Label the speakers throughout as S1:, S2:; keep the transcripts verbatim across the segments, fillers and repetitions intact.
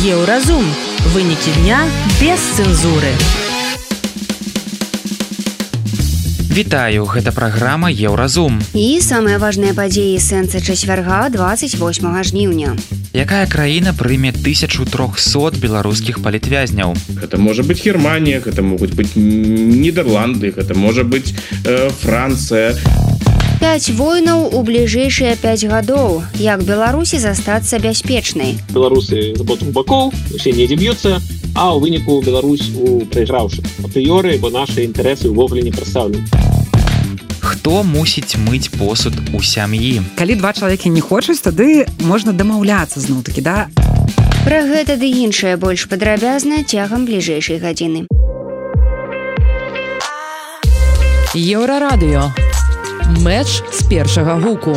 S1: Еўразум. Вынікі дня без цэнзуры.
S2: Вітаю, гэта праграма Еўразум.
S3: І самыя важныя падзеі сэнса чацвярга двадцать восьмага жніўня.
S2: Якая краіна прыме тысячу трохсот беларускіх палітвязняў?
S4: Гэта можа быць Германія, гэта могуць быць Нідерланды, гэта можа быць э, Францыя.
S3: Пяць войнаў у бліжэйшыя пяць гадоў. Як Беларусі застацца бяспечнай?
S5: Беларусы з обох бакоў, усе недзе б'юцца, а ў выніку Беларусь у прайграўшых. Апрыёры, бо нашы інтарэсы ўвогуле не прадстаўлены.
S2: Хто мусіць мыць посуд у сям'і?
S6: Калі два чалавекі не хочуць, тады можна дамаўляцца зноў-такі, да?
S3: Пра гэта ды іншае больш падрабязна цягам бліжэйшай гадзіны.
S1: Еўрарадыё. Мэч з першага гуку.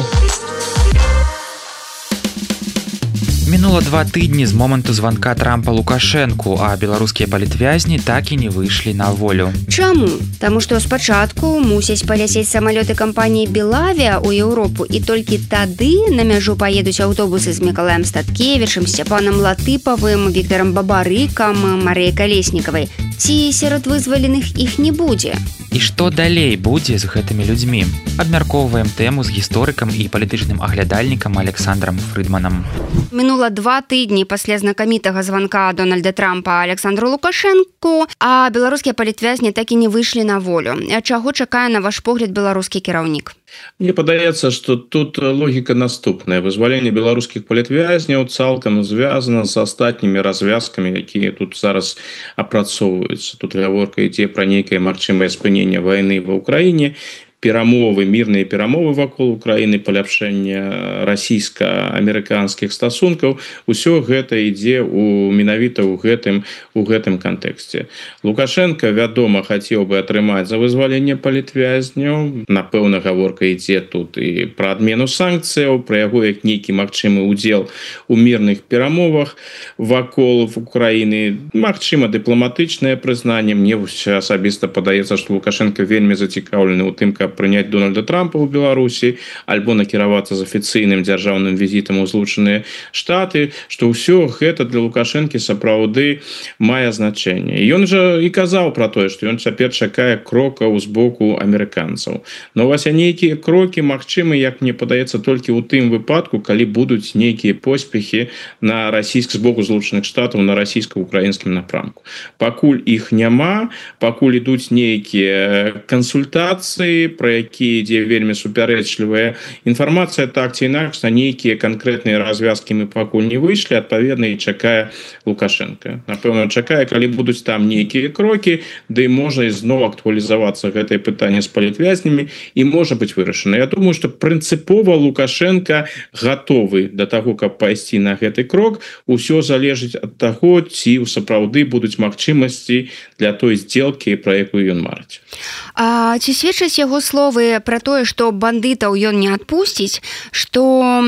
S2: Мінула два тыдні з моманту званка Трампа Лукашэнку, а беларускія палітвязні так і не выйшлі на волю.
S3: Чаму? Таму што спачатку мусяць паляцець самалёты кампаніі «Белавіа» ў Еўропу, і толькі тады на мяжу паедуць аўтобусы з Мікалаем Статкевічам, Сцяпанам Латыпавым, Віктарам Бабарыкам, Марыяй Калеснікавай. Ці сярод вызваленых іх не будзе?
S2: І што далей будзе з гэтымі людзьмі? Абмяркоўваем тэму з гісторыкам і палітычным аглядальнікам Александрам Фрыдманам.
S3: Мінула два тыдні пасля знакамітага званка Дональда Трампа Александру Лукашэнку, а беларускія палітвязні так і не выйшлі на волю. Чаго чакае, на ваш погляд, беларускі кіраўнік?
S4: Мне падаецца, што тут логіка наступная. Вызваленне беларускіх палітвязняў цалкам звязана з астатнімі развязкамі, якія тут зараз апрацоўваюцца. Тут гаворка ідзе пра нейкае магчымае спыненне вайны ва ўкраіне, перамовы, мірныя перамовы вакол Украіны, паляпшэння расійска-амерыканскіх стасункаў. Усё гэта ідзе у менавіта ў гэтым у гэтым кантэксце. Лукашенко, вядома, хацеў бы атрымаць за вызваленне палітвязняў. Напэўна, гаворка ідзе тут і пра адмену санкцыяў, пра яго як нейкі магчымы ўдзел у мірных перамовах вакол Украіны. Магчыма, дыпламатычнае прызнанне. Мне асабіста падаецца, што Лукашенко вельмі зацікаўлены ў тым, каб прыняць Дональда Трампа ў Беларусі альбо накіравацца з афіцыйным дзяржаўным візітам у Злучаныя Штаты, што ўсё гэта для Лукашэнкі сапраўды мае значэнне. Ён жа і казаў пра тое, што ён цяпер чакае крокаў з боку амерыканцаў. Но вось нейкія крокі магчымы, як мне падаецца, толькі ў тым выпадку, калі будуць нейкія поспехі на расійск з боку Злучаных Штатаў на расійска-украінскім напрамку. Пакуль іх няма, пакуль ідуць нейкія кансультацыі, про якія ідзе вельмі супярэчлівая інфармацыя, так ці інакш, на нейкія канкрэтныя развязкі мы пакуль не выйшлі, адпаведна і чакае Лукашенко. Напэўна, чакае, калі будуць там нейкія крокі, ды можа ізноў актуалізавацца гэтае пытанне з палітвязнямі і можа быць вырашана. Я думаю, што прынцыпова Лукашенко гатовы да таго, каб пайсці на гэты крок. Усё залежыць ад таго, ці сапраўды будуць магчымасці для той здзелкі, пра якую ён марыць.
S3: А ці сведчаць яго словы пра тое, што бандытаў ён не адпусціць, што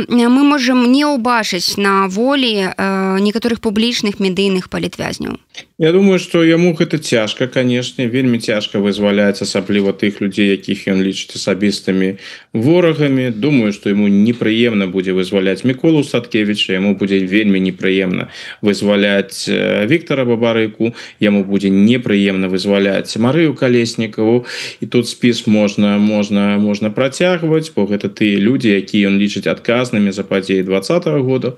S3: мы можам не ўбачыць на волі э, некаторых публічных медыйных палітвязняў?
S4: Я думаю, што яму гэта цяжка, канешне, вельмі цяжка вызваляць асабліва тых людзей, якіх ён лічыць асабістымі ворагамі. Думаю, што яму непрыемна будзе вызваляць Міколу Статкевіча, яму будзе вельмі непрыемна вызваляць Віктара Бабарыку, яму будзе непрыемна вызваляць Марыю Калеснікаву, і тут спіс можна можна можна працягваць, бо гэта тыя людзі, якія ён лічыць адказнымі за падзеі двадцатага года.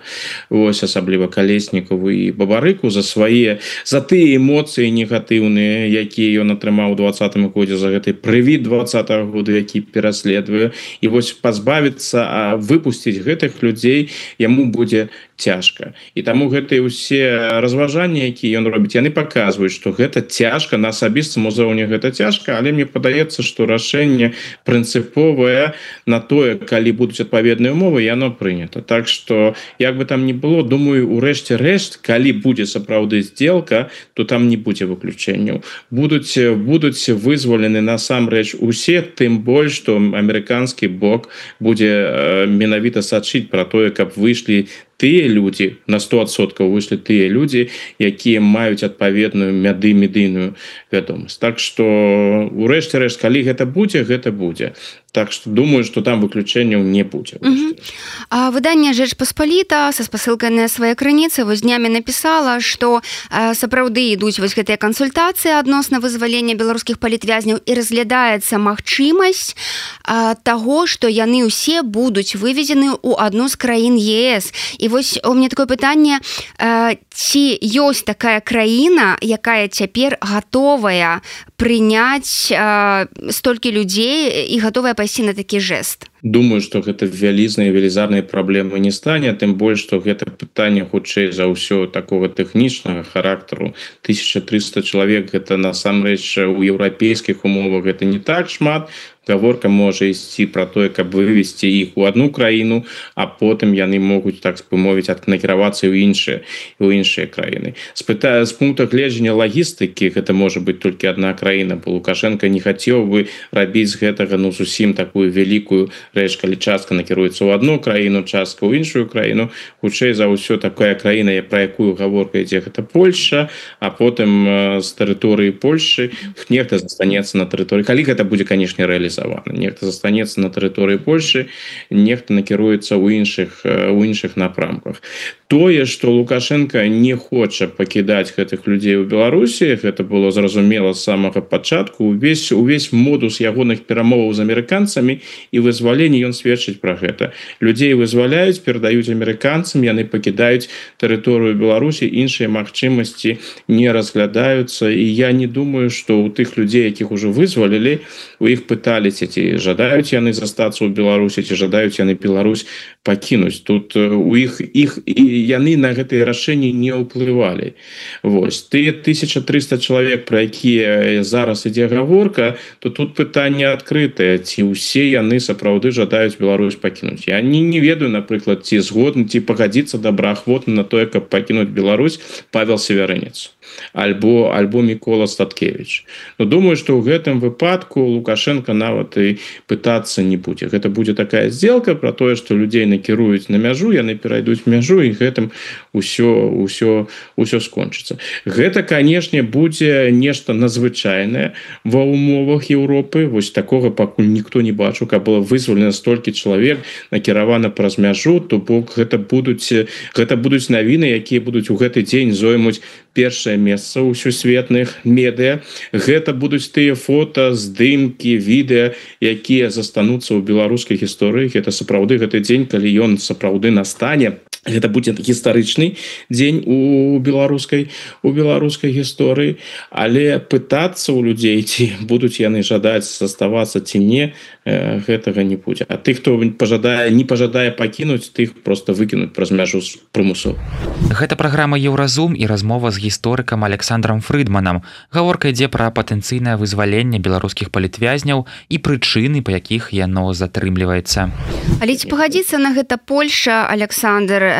S4: Вось асабліва Калеснікаву і Бабарыку за свае за тыя эмоцыі негатыўныя, якія ён атрымаў у двадцатым годзе, за гэты прывід двадцатага года, які пераследуе. І вось пазбавіцца, а выпусціць гэтых людзей яму будзе цяжка. І таму гэтыя ўсе разважанні, якія ён робіць, яны паказваюць, што гэта цяжка, на асабістым узроўні гэта цяжка, але мне падаецца, што рашэнне прынцыповае на тое, калі будуць адпаведныя умовы, яно прынята. Так што, як бы там ні было, думаю, у рэшце рэшт, калі будзе сапраўды здзелка, то там не будзе выключэнняў. Будуць, будуць вызвалены насамрэч усе, тым больш, што амерыканскі бок будзе менавіта сачыць пра тое, каб выйшлі тыя людзі, на сто адсоткаў выйшлі тыя людзі, якія маюць адпаведную мяды медыйную вядомасць. Так што, у рэшце рэшт, калі гэта будзе, гэта будзе. Так что думаю, что там выключэнняў не будзе.
S3: А выданне «Жэч Паспаліта» са спасылкай на свае крыніцы вось днямі напісала, што сапраўды ідуць вось гэтыя кансультацыі адносна вызвалення беларускіх палітвязняў і разглядаецца магчымасць таго, што яны ўсе будуць вывезены ў адну з краін ЕС. І вось у мяне такое пытанне, ці ёсць такая краіна, якая цяпер гатовая прыняць столькі людзей і гатовая пайсці на такі жэст?
S4: Думаю, што гэта вялізныя велізарныя праблемы не стане, тым больш, што гэта пытанне хутчэй за ўсё такога тэхнічнага характару. тысяча трыста чалавек гэта насамрэч у еўрапейскіх умовах гэта не так шмат. Гаворка можа ісці пра тое, каб вывесці іх у одну краіну, а потым яны могуць, так бы мовіць, накіравацца ў іншыя у іншыя краіны. З пыта з пункта гледжання лагістыкі гэта можа быць толькі одна краіна, бо Лукашенко не хацеў бы рабіць з гэтага ну зусім такую вялікую рэч, калі частка накіруецца ў одну краіну, частка ў іншую краіну. Хутчэй за ўсё такая краіна, пра якую гаворка ідзе, гэта Польша, а потым з тэрыторыі Польшы нехта застанецца на тэрыторыі. Калі гэта будзе, канешне, рэалізавана. Нехта застанецца на тэрыторыі Польшы, нехта накіруецца ў іншых у іншых напрамках. Тое, што Лукашенко не хоча пакідаць гэтых людзей у Беларусі, гэта было зразумела з самага пачатку. Увесь увесь модус ягоных перамоваў з амерыканцамі і вызвалення ён сведчыць пра гэта. Людзей вызваляюць, перадаюць амерыканцам, яны пакідаюць тэрыторыю Беларусі, іншыя магчымасці не разглядаюцца. І я не думаю, што ў тых людзей, якіх ужо вызвалілі, у іх пыталі, ці жадаюць яны застацца ў Беларусі, ці жадаюць яны Беларусь пакінуць. Тут у іх іх і яны на гэтыя рашэнні не ўплывалі. Вось тыя тысяча трыста чалавек, пра якія зараз ідзе гаворка, то тут пытанне адкрытае, ці ўсе яны сапраўды жадаюць Беларусь пакінуць. Я не, не ведаю, напрыклад, ці згодны, ці пагадзіцца добраахвотна на тое, каб пакінуць Беларусь Павел Севярынец альбо альбо Мікола Статкевич. Но думаю, што ў гэтым выпадку Лукашенко нават і пытацца не будзе. Гэта будзе такая сделка пра тое, што людзей накіруюць на мяжу, яны перайдуць мяжу, і гэтым усё усё усё скончыцца. Гэта, канешне, будзе нешта надзвычайнае ва ўмовах Еўропы. Вось такога пакуль ніхто не бачыў, каб было вызвалена столькі чалавек, накіравана праз мяжу, то бок гэта будуць гэта будуць навіны, якія будуць у гэты дзень зоймуць першае месца ў сусветных медыа. Гэта будуць тыя фота, здымкі, відэа, якія застануцца ў беларускай гісторыі. Гэта сапраўды гэты дзень, калі ён сапраўды настане. Гэта будзе гістарычны дзень у беларускай у беларускай гісторыі, але пытацца ў людзей, ці будуць яны жадаць заставацца ці не, гэтага не будзе. А тых, хто пажадае не пажадае пакінуць, тых просто выкінуць праз мяжу прымусова.
S2: Гэта праграма Еўразум і размова з гісторыкам Александром Фрыдманам. Гаворка ідзе пра патэнцыйнае вызваленне беларускіх палітвязняў і прычыны, па якіх яно затрымліваецца.
S3: Але ці пагадзіцца на гэта Польша, Александр,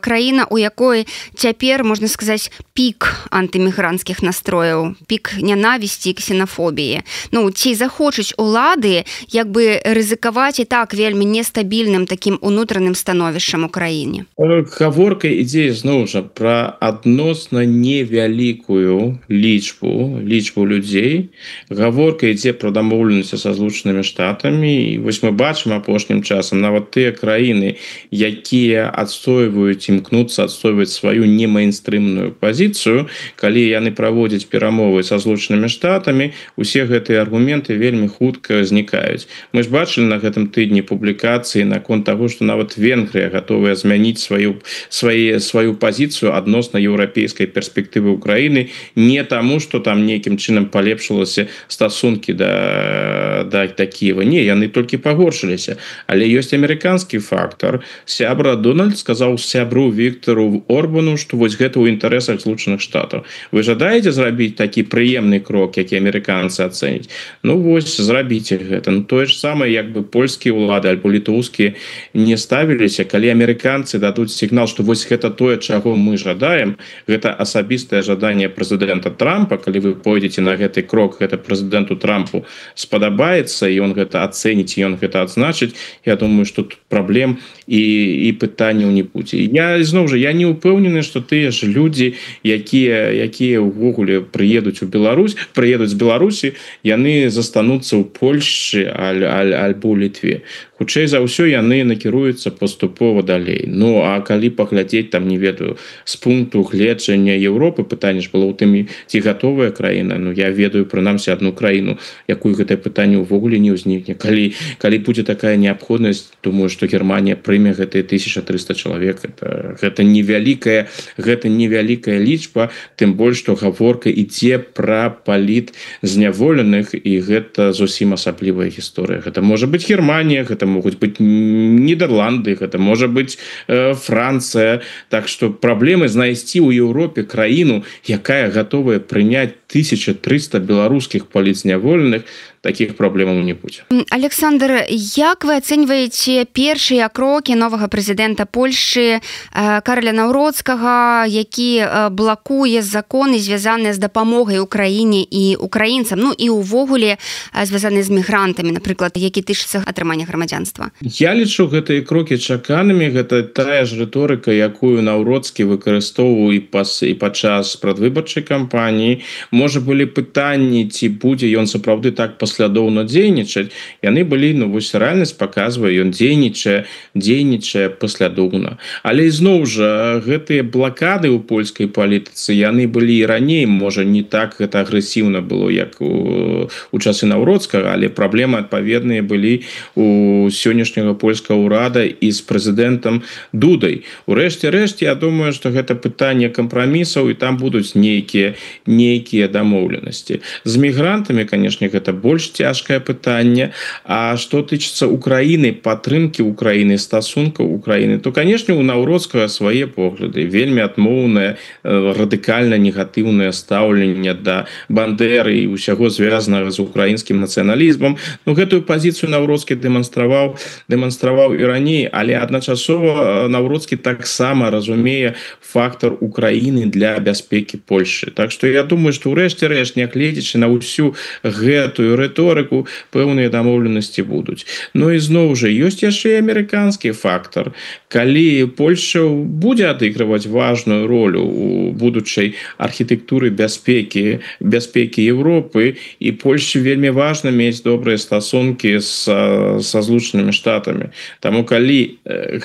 S3: краіна, у якой цяпер, можна сказаць, пік антымігранцкіх настрояў, пік нянавісці і ксенафобіі. Ну, ці захочуць улады як бы рызыкаваць і так вельмі нестабільным такім унутраным становішчам у краіне?
S4: Гаворка ідзе зноў жа пра адносна невялікую лічбу лічбу людзей. Гаворка ідзе пра дамоўленасці са Злучанымі Штатамі. І вось мы бачым апошнім часам нават тыя краіны, якія адстойваюць, імкнуцца адстойваць сваю немейнстрымную пазіцыю, калі яны праводзяць перамовы са Злучанымі Штатамі, усе гэтыя аргументы вельмі хутка знікаюць. Мы ж бачылі на гэтым тыдні публікацыі наконт таго, што нават Венгрыя гатовая змяніць сваю свае сваю пазіцыю адносна еўрапейскай перспектывы Украіны, не таму, што там нейкім чынам палепшылася стасункі да да да Кіева. Не, яны толькі пагоршыліся. Але ёсць амерыканскі фактар. Сябра Дональд сказаў сябру Віктору Орбану, што вось гэта ў інтарэсах Злучаных Штатаў. Вы жадаеце зрабіць такі прыемны крок, які амерыканцы ацэняць? Ну вось, зрабіце гэта. Ну тое ж самае, як бы польскія ўлады альбо літоўскія не ставіліся, калі амерыканцы дадуць сігнал, што вось гэта тое, чаго мы жадаем, гэта асабістае жаданне прэзідэнта Трампа, калі вы пойдзеце на гэты крок, гэта прэзідэнту Трампу спадабаецца, і ён гэта ацэніць, і ён гэта адзначыць, я думаю, што тут праблем і, і пытанняў не будзе. Я зноў жа я не ўпэўнены, што тыя ж людзі, якія якія ўвогуле прыедуць у Беларусь, прыедуць з Беларусі, яны застануцца ў Польшчы аль, аль, альбо ў Літве. Хутчэй за ўсё яны накіруюцца паступова далей. Ну а калі паглядзець там не ведаю з пункту гледжання Еўропы, пытанне ж было ў тым, ці гатовая краіна. Ну я ведаю прынамсі адну краіну, якую гэтае пытанне ўвогуле не ўзнікне. Калі калі будзе такая неабходнасць, думаю, што Германія прыме гэтыя тысяча трыста чалавек. Это, гэта невялікая, гэта невялікая лічба, тым больш што гаворка ідзе пра паліт зняволеных, і гэта зусім асаблівая гісторыя. Гэта можа быць Германія, гэта могуць быць Нідерланды, гэта можа быць э, Францыя. Так што праблемы знайсці ў Еўропе краіну, якая гатовая прыняць тысяча трыста беларускіх палітзняволеных, таких праблемаў не будзе.
S3: Александр, як вы ацэньваеце першыя крокі новага прэзідэнта Польшчы Караля Наўроцкага, які блакуе законы, звязаныя з дапамогай Украіне і украінцам, ну і ўвогуле звязаныя з мігрантамі, напрыклад, які тычыцца атрымання грамадзянства?
S4: Я лічу гэтыя крокі чаканымі. Гэта тая ж рыторыка, якую Наўроцкі выкарыстоўваў і пас і падчас прадвыбарчай кампаніі. Можа былі пытанні, ці будзе ён сапраўды так паслядоўна дзейнічаць. Яны былі, ну вось рэальнасць паказвае, ён дзейнічае, дзейнічае паслядоўна. Але ізноў жа гэтыя блакады ў польскай палітыцы, яны былі і раней, можа не так гэта агрэсіўна было, як у, у часы Наўроцкага, але праблемы адпаведныя былі у сённяшняга польскага ўрада і з прэзідэнтам Дудай. Урэшце рэшт, я думаю, што гэта пытанне кампрамісаў, і там будуць нейкія нейкія дамоўленасці. З мігрантамі, канешне, гэта больш цяжкае пытанне. А што тычыцца Украіны, падтрымкі Украіны, стасункаў Украіны, то, канешне, у Наўроцкага свае погляды, вельмі адмоўнае, радыкальна негатыўнае стаўленне да Бандеры і ўсяго звязанага з украінскім нацыяналізмам. Ну, гэтую пазіцыю Наўроцкі дэманстраваў, дэманстраваў і раней, але адначасова Наўроцкі таксама разумее фактор Украіны для бяспекі Польшчы. Так што я думаю, што ўрэшце рэшт, нягледзячы на ўсю гэтую рыторыку, пэўныя дамоўленасці будуць. Ну і зноў жа ёсць яшчэ і амерыканскі фактор. Калі Польшча будзе адыгрываць важную ролю у будучай архітэктуры бяспекі бяспекі Еўропы, і Польшчы вельмі важна мець добрыя стасункі са, са Злучанымі Штатамі. Таму калі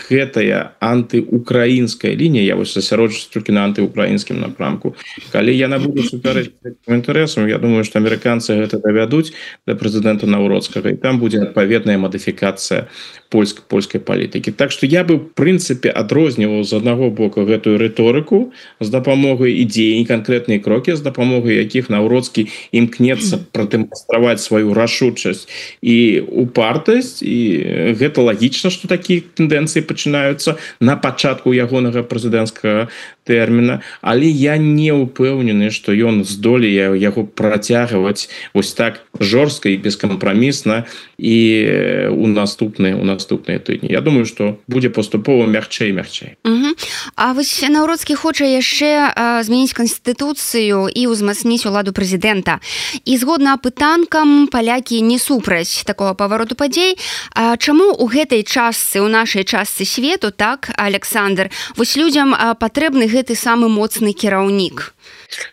S4: гэтая антыукраінская лінія, я вось засяроджуся толькі на антыукраінскім напрамку, калі яна будзе супярэчыць гэтым інтарэсам, я думаю, што амерыканцы гэта давядуць да прэзідэнта Наўроцкага, і там будзе адпаведная мадыфікацыя польск, польскай палітыкі. Так што я бы, в прынцыпе, адрозніваў з аднаго боку гэтую рыторыку з дапамогай ідзеі, канкрэтныя крокі, з дапамогай якіх Наўроцкі імкнецца прадэманстраваць сваю рашучасць і упартасць, і гэта лагічна, што такія тэндэнцыі пачынаюцца на пачатку ягонага прэзідэнцкага тэрміна, але я не ўпэўнены, што ён здолее яго працягваць вось так жорстка і бескампрамісна і у наступныя у наступныя тыдні. Я думаю, што будзе паступова мягчэй мягчэй.
S3: Угу. А вось Наўроцкі хоча яшчэ а, змяніць канстытуцыю і ўзмацніць уладу прэзідэнта. І згодна апытанкам, палякі не супраць такога павароту падзей. А чаму ў гэтай частцы, у нашай частцы свету, так, Александр, вось людзям а, патрэбны гэты самы моцны кіраўнік?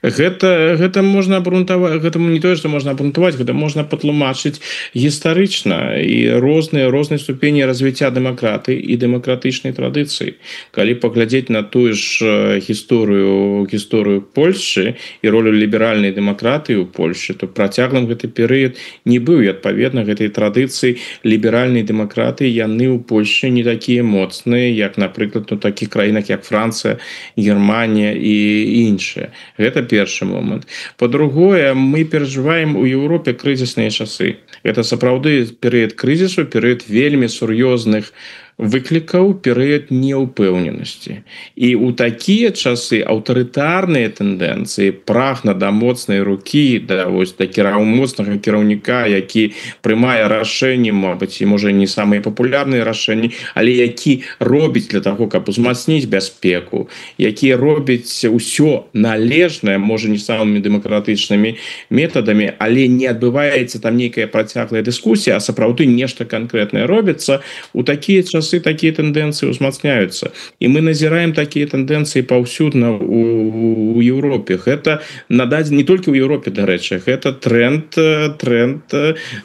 S4: Гэта, гэта можна абрунтаваць, гэта не тое, што можна абрунтаваць, гэта можна патлумачыць гістарычна і розныя розныя ступені развіцця дэмакраты і дэмакратычнай традыцыі. Калі паглядзець на тую ж гісторыю гісторыю Польшчы і ролю ліберальнай дэмакратыі ў Польшчы, то працяглым гэты перыяд не быў, і адпаведна гэтай традыцыі ліберальнай дэмакраты яны ў Польшчы не такія моцныя, як, напрыклад, у такіх краінах як Францыя, Германія і іншыя. Гэта першы момант. Па-другое, мы перажываем у Еўропе крызісныя часы. Гэта сапраўды перыяд крызісу, перыяд вельмі сур'ёзных выклікаў, перыяд неўпэўненасці. І ў такія часы аўтарытарныя тэндэнцыі, прагна да моцнай рукі, да вось да кіраў моцнага кіраўніка, які прымае рашэнні, мабыць, і можа не самыя папулярныя рашэнні, але які робіць для таго, каб узмацніць бяспеку, які робіць усё належнае, можа не самымі дэмакратычнымі метадамі, але не адбываецца там нейкая працяглая дыскусія, а сапраўды нешта канкрэтнае робіцца. У такія часы часы такие тенденции узмацняются, и мы назираем такие тенденции повсюдно у, у Европе. Это надать не только в Европе, до речи, это тренд, тренд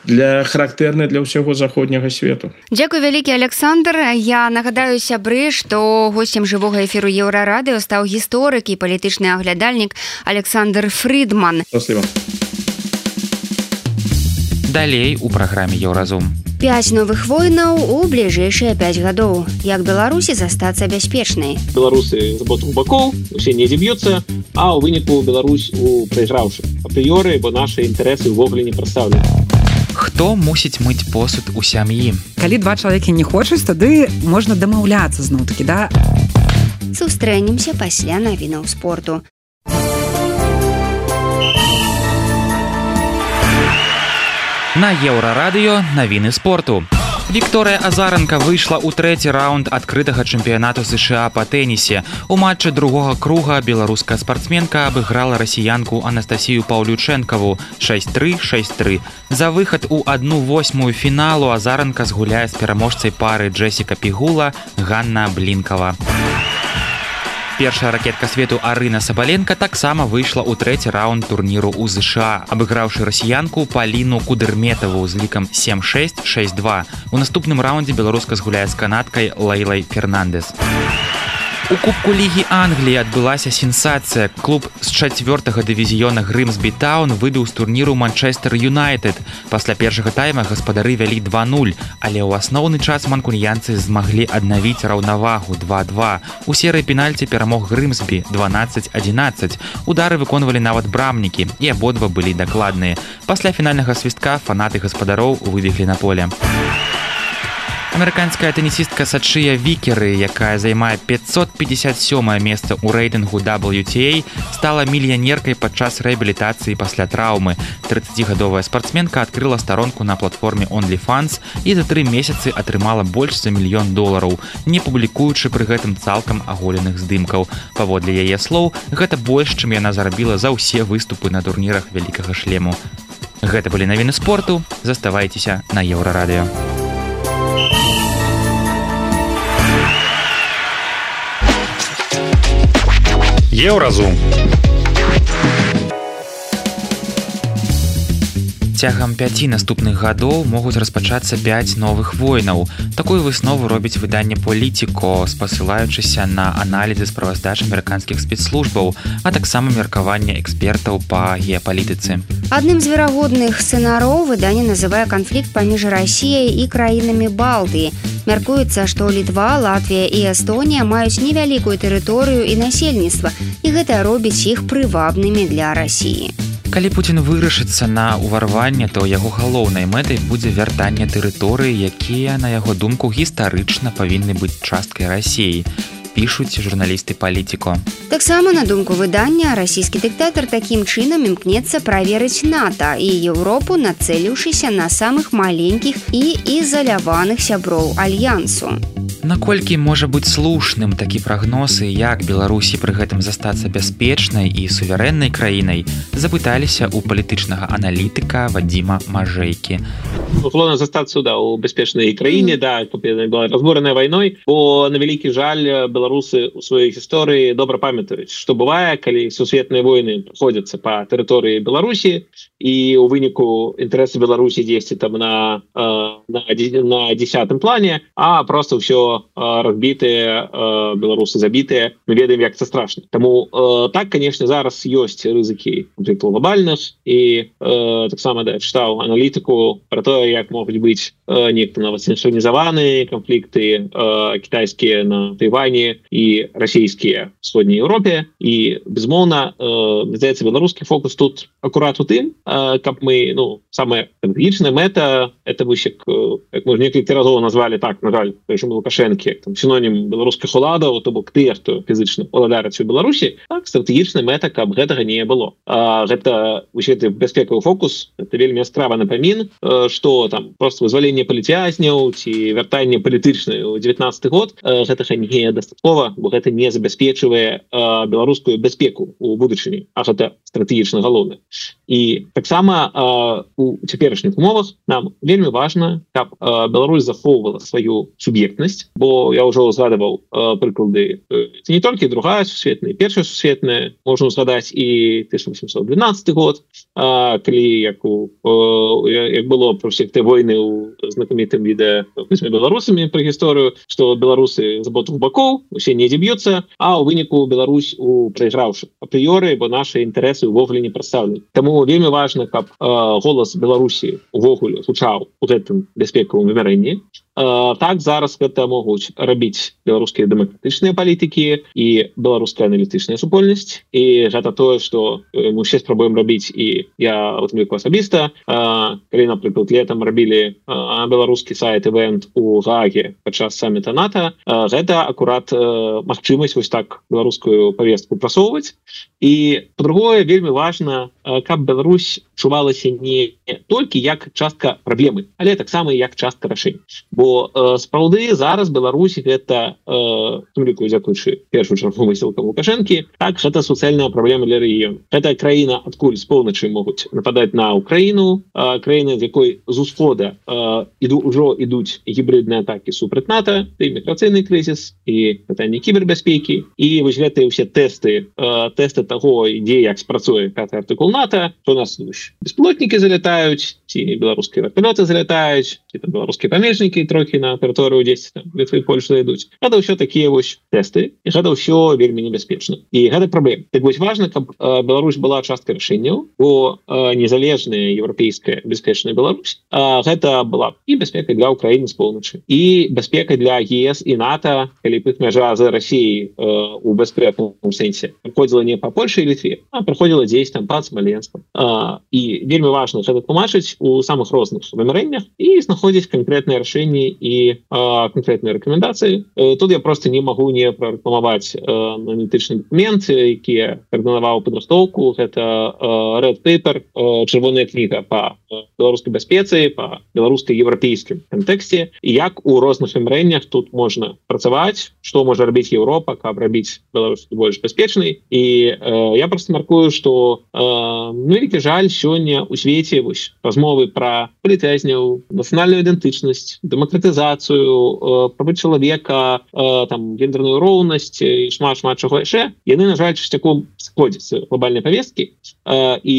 S4: для характерный для всего заходнего света.
S3: Дякую вялікі, Александр. Я нагадаю сябры, што гостем жывога эфіру Еўрарадыё стаў гісторык і палітычны аглядальнік Александр Фридман.
S4: Спасибо.
S2: Далей у праграме Еўразум.
S3: Пяць новых войнаў у бліжэйшыя пяць гадоў. Як Беларусі застацца бяспечнай?
S5: Беларусы з обох бакоў, усе недзе б'юцца, а ў выніку Беларусь у прайграўшы. Апрыёры, бо нашы інтарэсы ўвогуле не прадстаўлены.
S2: Хто мусіць мыць посуд у сям'і?
S6: Калі два чалавекі не хочуць, тады можна дамаўляцца зноў-такі, да?
S3: Сустрэнемся пасля навінаў спорту.
S2: На Еўрарадыё навіны спорту. Вікторыя Азаранка выйшла ў трэці раунд адкрытага чэмпіянату США па тэнісе. У матчы другога круга беларуская спартсменка абыграла расіянку Анастасію Паўлючэнкаву шэсць тры шэсць тры. За выхад у адну восьмую фіналу Азаранка згуляе з пераможцай пары Джесіка Пігула Ганна Блінкава. Першая ракетка свету Арына Сабаленка таксама выйшла ў трэці раунд турніру ў ЗША, абыграўшы расіянку Паліну Кудырметаву з лікам сем шэсць шэсць два. У наступным раундзе беларуска згуляе з канадкай Лейлай Фернандес. У Кубку Лігі Англіі адбылася сенсацыя. Клуб з чацвёртага дывізіёна Грымсбі Таун выбіў з турніру Манчестер Юнайтед. Пасля першага тайма гаспадары вялі два нуль, але ў асноўны час манкуньянцы змаглі аднавіць раўнавагу два два. У серыі пенальці перамог Грымсбі дванаццаць адзінаццаць. Удары выконвалі нават брамнікі, і абодва былі дакладныя. Пасля фінальнага свістка фанаты гаспадароў выбеглі на поле. Амерыканская тэнісістка Сачыя Вікеры, якая займае пятьсот пятьдесят сёмае месца ў рэйтынгу дабл ю ти эй, стала мільянеркай падчас рэабілітацыі пасля траўмы. трыццацігадовая спартсменка адкрыла старонку на платформе OnlyFans і за тры месяцы атрымала больш за мільён долараў, не публікуючы пры гэтым цалкам аголеных здымкаў. Паводле яе слоў, гэта больш, чым яна зарабіла за ўсе выступы на турнірах вялікага шлему. Гэта былі навіны спорту. Заставайцеся на Еўрарадыё.
S7: Еўразум.
S2: Цягам пяці наступных гадоў могуць распачацца пяць новых войнаў. Такую выснову робіць выданне Politico, спасылаючыся на аналізы справаздач амерыканскіх спецслужбаў, а таксама меркаванне экспертаў па геапалітыцы.
S3: Адным з верагодных сцэнараў выданне называе канфлікт паміж Расіяй і краінамі Балтыі. Мяркуецца, што Літва, Латвія і Эстонія маюць невялікую тэрыторыю і насельніцтва, і гэта робіць іх прывабнымі для Расіі.
S2: Калі Пуцін вырашыцца на ўварванне, то яго галоўнай мэтай будзе вяртанне тэрыторыі, якія, на яго думку, гістарычна павінны быць часткай Расіі, пішуць журналісты Politico.
S3: Таксама, на думку выдання, расійскі дыктатар такім чынам імкнецца праверыць НАТО і Еўропу, нацэліўшыся на самых маленькіх і ізаляваных сяброў альянсу.
S2: Наколькі можа быць слушным такі прагноз і як Беларусі пры гэтым застацца бяспечнай і суверэннай краінай, запыталіся ў палітычнага аналітыка Вадзіма Мажэйкі.
S5: Условно застацца да, у бяспечнай краіне, mm. да, была разбураная вайной, бо на вялікі жаль беларусы ў сваёй гісторыі добра памятаюць, што бывае, калі сусветныя войны праходзяцца па тэрыторыі Беларусі і ў выніку інтарэсы Беларусі дзесьці там на, на, на дзесятым плане, а просто ўсё разбітыя, беларусы забітыя, мы ведаем, як це страшна. Таму так, конечно, зараз ёсць рызыкі глобальных і таксама да, чытаў аналітыку пра тое, як могуць быць некто нават сінхронізаваныя канфлікты кітайскія на Тайвані і расійскія в Сходняй Еўропе. І, безумоўна, здаецца, беларускі фокус тут акурат у тым, каб мы, ну, самая стратэгічная мэта, это вось як, як мы некалькі разоў назвалі так, на жаль, рэжым Лукашэнкі, як там сінонім беларускіх уладаў, то бок тыя, хто фізычна уладарыць у Беларусі, так, стратэгічная мэта, каб гэтага не было. А, гэта вось гэты бяспекавы фокус, это вельмі яскравы напамін, што там просто вызваленне палітвязняў ці вяртанне палітычнае ў дзевятнаццаты год, гэтага не дастаткова, бо гэта не забяспечвае беларускую бяспеку ў будучыні, а гэта стратэгічна галоўна. і таксама у цяперашніх умовах нам вельмі важна, каб Беларусь захоўвала сваю суб'ектнасць, бо я ўжо згадаваў прыклады не толькі другая сусветная, першая сусветная, можна згадаць і тысяча восемьсот двенадцатый год, калі як, у, як было про всех те войны у знакамітым відэа з беларусамі пра гісторыю, што беларусы з обох бакоў усе недзе б'юцца, а ў выніку Беларусь у прайграўшы апрыёры, бо нашы інтарэсы ўвогуле не прадстаўлены. Таму вельмі важна, каб голас Беларусі увогуле гучаў у гэтым бяспекавым вымярэнні. Так зараз гэта могуць рабіць беларускія дэмакратычныя палітыкі і беларуская аналітычная супольнасць, і гэта тое, што мы ўсе спрабуем рабіць, і я у тым ліку асабіста, калі, напрыклад, летам рабілі беларускі сайт-івент у Гааге падчас самміта НАТО, гэта акурат магчымасць вось так беларускую павестку прасоўваць. І па-другое, вельмі важна, каб Беларусь чувалася не толькі як частка праблемы, але таксама як частка рашэння. Бо э, сапраўды зараз Беларусь гэта э, ліку дзякуючы першую чаргу высілкам Лукашэнкі, так гэта суцэльная праблема для рэгіёну. Гэта краіна, адкуль з поўначы могуць нападаць на Украіну, э, краіна, з якой з усхода э, іду, ўжо ідуць гібридныя атакі супраць НАТО, і міграцыйны крызіс, і пытанні кібербяспекі, і вось гэтыя ўсе тэсты, э, тэсты таго, ідзе як спрацуе пяты артыкул НАТО, то у нас беспілотнікі залятаюць, ці беларускія верталёты залятаюць, ці там беларускія памежнікі трохі на тэрыторыю дзесьці там Літвы і Польшы зайдуць. Гэта ўсё такія вось тэсты, і гэта ўсё вельмі небяспечна. І гэта праблема. Так вось важна, каб э, Беларусь была часткай рашэнняў, бо э, незалежная еўрапейская бяспечная Беларусь, э, гэта была і бяспека для Украіны з поўначы, і бяспека для ЕС і НАТО, калі б іх мяжа з Расіяй э, у бяспечным сэнсе праходзіла не па Польшы і Літве, а праходзіла дзесь там пад Смаленскам. Э, і вельмі важна гэта тлумачыць у самых розных вымярэннях і знаходзіць канкрэтныя рашэнні і а, канкрэтныя рэкамендацыі. Тут я просто не магу не прарэкламаваць аналітычны дакумент, які каардынаваў падрыхтоўку. Гэта а, Red Paper, а, чырвоная кніга па беларускай бяспецы, па беларуска-еўрапейскім кантэксце, і як у розных вымярэннях тут можна працаваць, што можа рабіць Еўропа, каб рабіць Беларусь больш бяспечнай. І а, я просто маркую, што вялікі жаль, сёння ў свеце вось размовы пра палітвязняў, нацыянальную ідэнтычнасць, дэмакратызацыю, правы чалавека, там гендерную роўнасць і шмат-шмат чаго яшчэ, яны, на жаль, часцяком сходзяць глобальнай павесткі, і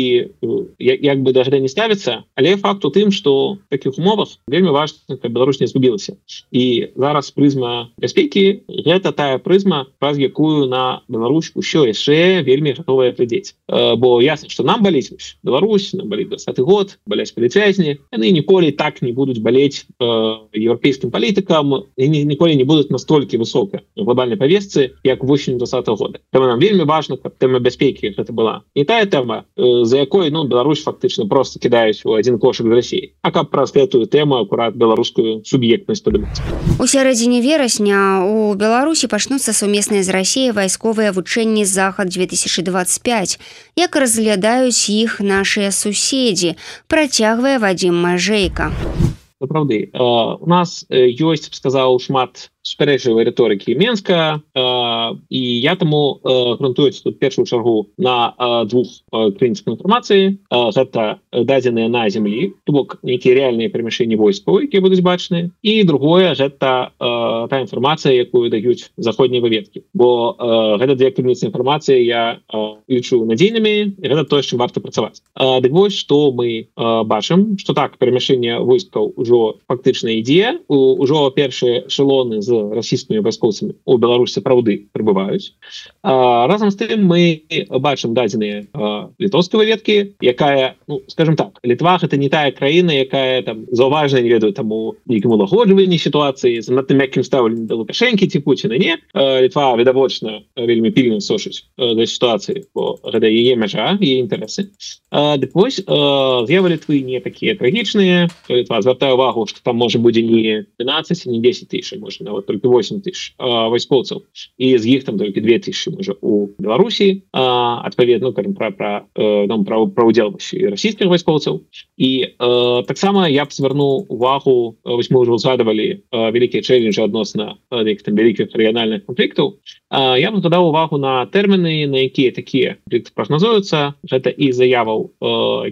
S5: як бы да гэта не ставіцца, але факт у тым, што в такіх умовах вельмі важна, каб Беларусь не згубілася. І зараз прызма бяспекі — гэта тая прызма, праз якую на Беларусь усё яшчэ вельмі гатовая глядзець. Бо ясна, што нам баліць Беларусь, нам баліць двадцаты год, баляць палітвязні, яны ніколі так не будуць балець э, еўрапейскім палітыкам, і ніколі не будуць настолькі высока в глобальнай павестцы, як восень двадцатого года. Таму нам вельмі важна, каб тэма бяспекі гэта была не тая тэма, э, за якой, ну, Беларусь фактычна просто кідаюць у адзін кошык з Расіі, а каб праз гэтую тэму акурат беларускую суб'ектнасць падымаць.
S3: У сярэдзіне верасня у Беларусі пачнуцца сумесныя з Расіяй вайсковыя вучэнні «Захад две тысячи двадцать пять», як разглядаюць іх нашыя суседзі, працягвае Вадзім Мажэйка.
S5: Сапраўды, у нас ёсць, б сказаў, шмат супярэчлівай рыторыкі Менска, і я таму грунтуюць тут першую чаргу на двух крыніцах інфармацыі. Гэта дадзеныя на зямлі, то бок нейкія рэальныя перамяшчэнні войскаў, якія будуць бачныя, і другое — гэта та інфармацыя, якую даюць заходнія выведкі. Бо гэта две крыніцы інфармацыі я лічу надзейнымі, і гэта тое, з чым варта працаваць. Дык вось, што мы бачым, што так, перамяшчэнне войскаў ужо фактычна ідзе, ужо першыя эшелоны з расійскімі вайскоўцамі у Беларусі сапраўды прыбываюць. А, разам з тым мы бачым дадзеныя літоўскай выведкі, якая, ну, скажем так, Літва — гэта не тая краіна, якая там заўважна, не ведаю, таму нейкім улагоджванні сітуацыі, занадта мяккім стаўленнем да Лукашэнкі ці Пуціна. Не, Літва відавочна вельмі пільна сочыць да сітуацыі, бо гэта яе мяжа, яе інтарэсы. Дык вось, з'явы Літвы не такія трагічныя. Літва звяртае ўвагу, што там можа будзе не двенадцаць, не дзесяць тысяч, можа нават нават толькі восемь тысяч вайскоўцаў, і з іх там толькі две тысячи можа у Беларусі, адпаведна кажам пра пра нам пра пра удзел расійскіх вайскоўцаў. І э, таксама я б звярнуў увагу, вось мы ўжо згадавалі вялікія чэлленджы адносна нейкіх там вялікіх рэгіянальных канфліктаў. Я б згадаў увагу на тэрміны, на якія такія канфлікты прагназуюцца. Гэта і заяваў,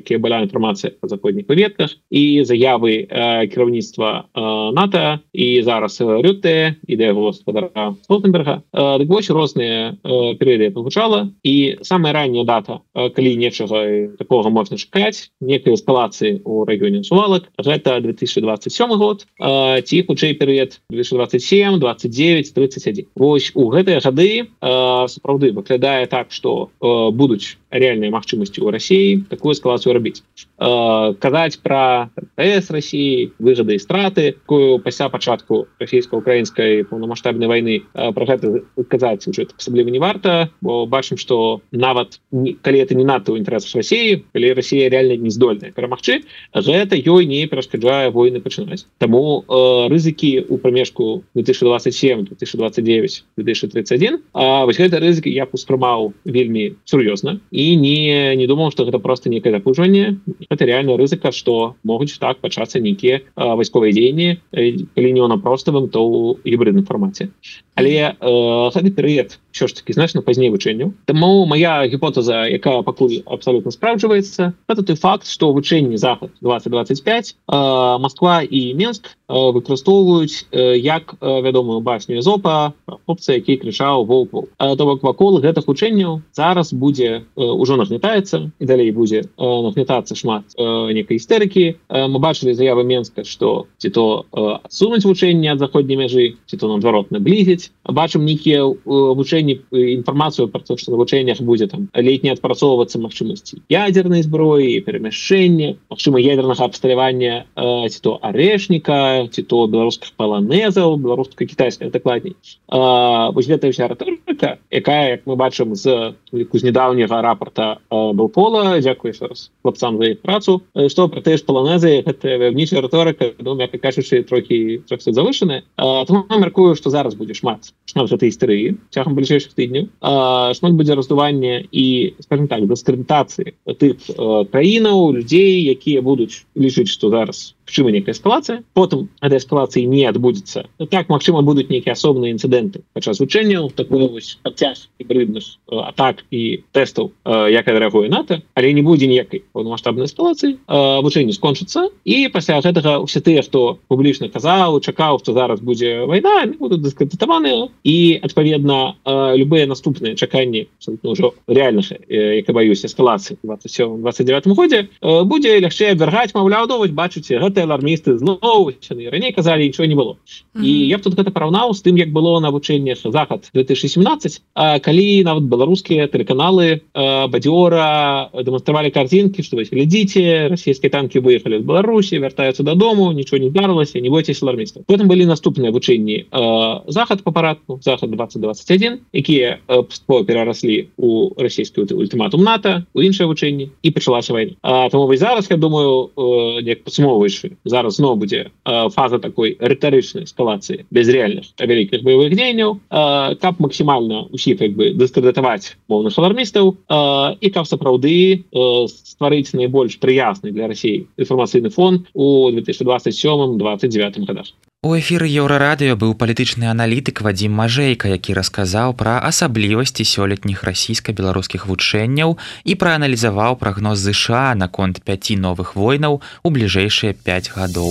S5: якія была інфармацыя па заходніх паветках, і заявы кіраўніцтва НАТО, і зараз Рютте, ідэя гаспадара Столтенберга. Дык вось розныя перыяды пагучала, і самая ранняя дата, калі нечага такога можна чакаць, некай эскалацыі ў рэгіёне Сувалак, гэта две тысячи двадцать сёмы год, ці хутчэй перыяд две тысячи двадцать семь, двадцать девять, тридцать один. Вось у гэтыя гады сапраўды выглядае так, што будуць реальныя магчымасці ў Расіі такую эскалацыю рабіць. Казаць пра ТС Расіі, выгады і страты, такую пасля пачатку расійска-украінскай паўнамаштабнай вайны, пра гэта казаць уже асабліва не варта, бо бачым, што нават калі это не надта ў інтарэсах Расіі, калі Расія реально не здольная перамагчы, гэта ёй не перашкаджае войны пачынаць. Таму э, рызыкі ў прамежку две тысячи двадцать семь, две тысячи двадцать девять, две тысячи тридцать один, а вось гэта рызыкі я б успрымаў вельмі сур'ёзна і не, не думаў, што гэта проста нейкае запужванне. Гэта реальная рызыка, што могуць так пачацца нейкія вайсковыя дзеянні, калі не ў напроставым, то ў гібридным фармаце. Але э, гэты перыяд ўсё ж такі значна пазней вучэнняў. Таму моя гіпотэза, якая пакуль абсалютна спраўджваецца, гэта той факт, што вучэнні Захад двадцать двадцать пять э, Москва і Мінск э, выкарыстоўваюць э, як э, вядомую басню Эзопа, хлопца, які крычаў воўк-воўк. Э, то бок вакол гэтых вучэнняў зараз будзе э, ужо нагнятаецца, і далей будзе э, нагнятацца шмат э, некай істэрыкі. Э, мы бачылі заявы Мінска, што ці то э, адсунуць вучэнні ад заходняй мяжы, ці то наадварот наблізіць. Бачым нейкія э, вучэнні, інфармацыю пра то, што на вучэннях будзе там летне адпрацоўвацца магчымасці ядзернай зброі, перамяшчэння, магчыма ядернага абсталявання э, ці то арэшніка, ці то беларускіх паланезаў, беларуска-кітайскіх дакладней. Э, вось гэта ўся рыторыка, якая, як мы бачым з з нядаўняга рапорта э, Белпола, дзякую яшчэ раз хлопцам за іх працу, што пра тыя ж паланезы, гэта вяўнічая рыторыка, ну, мякка кажучы, трохі трохі завышаная. Э, Таму я мяркую, што зараз будзе шмат шмат гэтай істэрыі цягам бліжэйшых тыдняў. Э, шмат будзе раздування і, скажем так, дыскрэдытацыі тых э, краінаў, людзей, якія будуць лічыць, што зараз магчыма нейкая эскалацыя, потым этой эскалацыі не адбудзецца. Так, магчыма, будуць нейкія асобныя інцыдэнты падчас вучэнняў, такой вось працяг гібридных э, атак і тэстаў, э, як адрэагуе НАТО, але не будзе ніякай паўнамаштабнай эскалацыі, э, вучэнні скончацца, і пасля гэтага ўсе тыя, хто публічна казаў, чакаў, што зараз будзе вайна, будуць дыскрэдытаваныя, і адпаведна э, любыя наступныя чаканні абсолютно ўжо реальных, э, як я баюсь, эскалацыі двадцать сёмым двадцать девятым годзе, э, будзе лягчэй абвяргаць, маўляў, ну, вось бачыце, гэта алармісты зноў, яны раней казалі, нічого не было. Mm-hmm. І я б тут гэта параўнаў з тым, як было на вучэннях Захад две тысячи семнадцать, а, калі нават беларускія тэлеканалы а, бадзёра дэманстравалі картинкі, што вось глядзіце, расійскія танкі выехалі з Беларусі, вяртаюцца дадому, нічого не здарылася, не бойцеся алармістаў. Потым былі наступныя вучэнні а, Захад па парадку, Захад двадцать двадцать один, якія паступова перараслі у расійскі ультыматум НАТО, у іншыя вучэнні, і пачалася вайна. А, таму вось зараз, я думаю, а, як падсумоўваючы, зараз зноў будзе э, фаза такой рытарычнай эскалацыі без рэальных вялікіх баявых дзеянняў, э, каб максімальна усіх як бы дыскрэдытаваць моўных алармістаў э, і каб сапраўды э, стварыць найбольш прыязны для Расіі інфармацыйны фон у две тысячи двадцать сёмым двадцать девятым годах.
S2: У эфіры Еўрарадыё быў палітычны аналітык Вадзім Мажэйка, які расказаў пра асаблівасці сёлетніх расійска-беларускіх вучэнняў і прааналізаваў прагноз ЗША наконт пяці новых войнаў у бліжэйшыя пяць гадоў.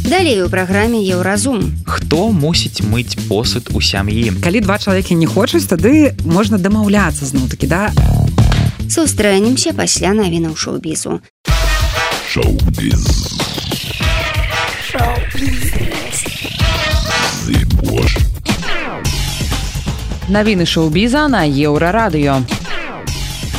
S3: Далей у праграме Еўразум.
S2: Хто мусіць мыць посуд у сям'і?
S6: Калі два чалавекі не хочуць, тады можна дамаўляцца зноў-такі, да?
S3: Сустрэнемся пасля навінаў шоу-бізу.
S8: Шоу-біз.
S1: Навіны шоу-біза на Еўрарадыё.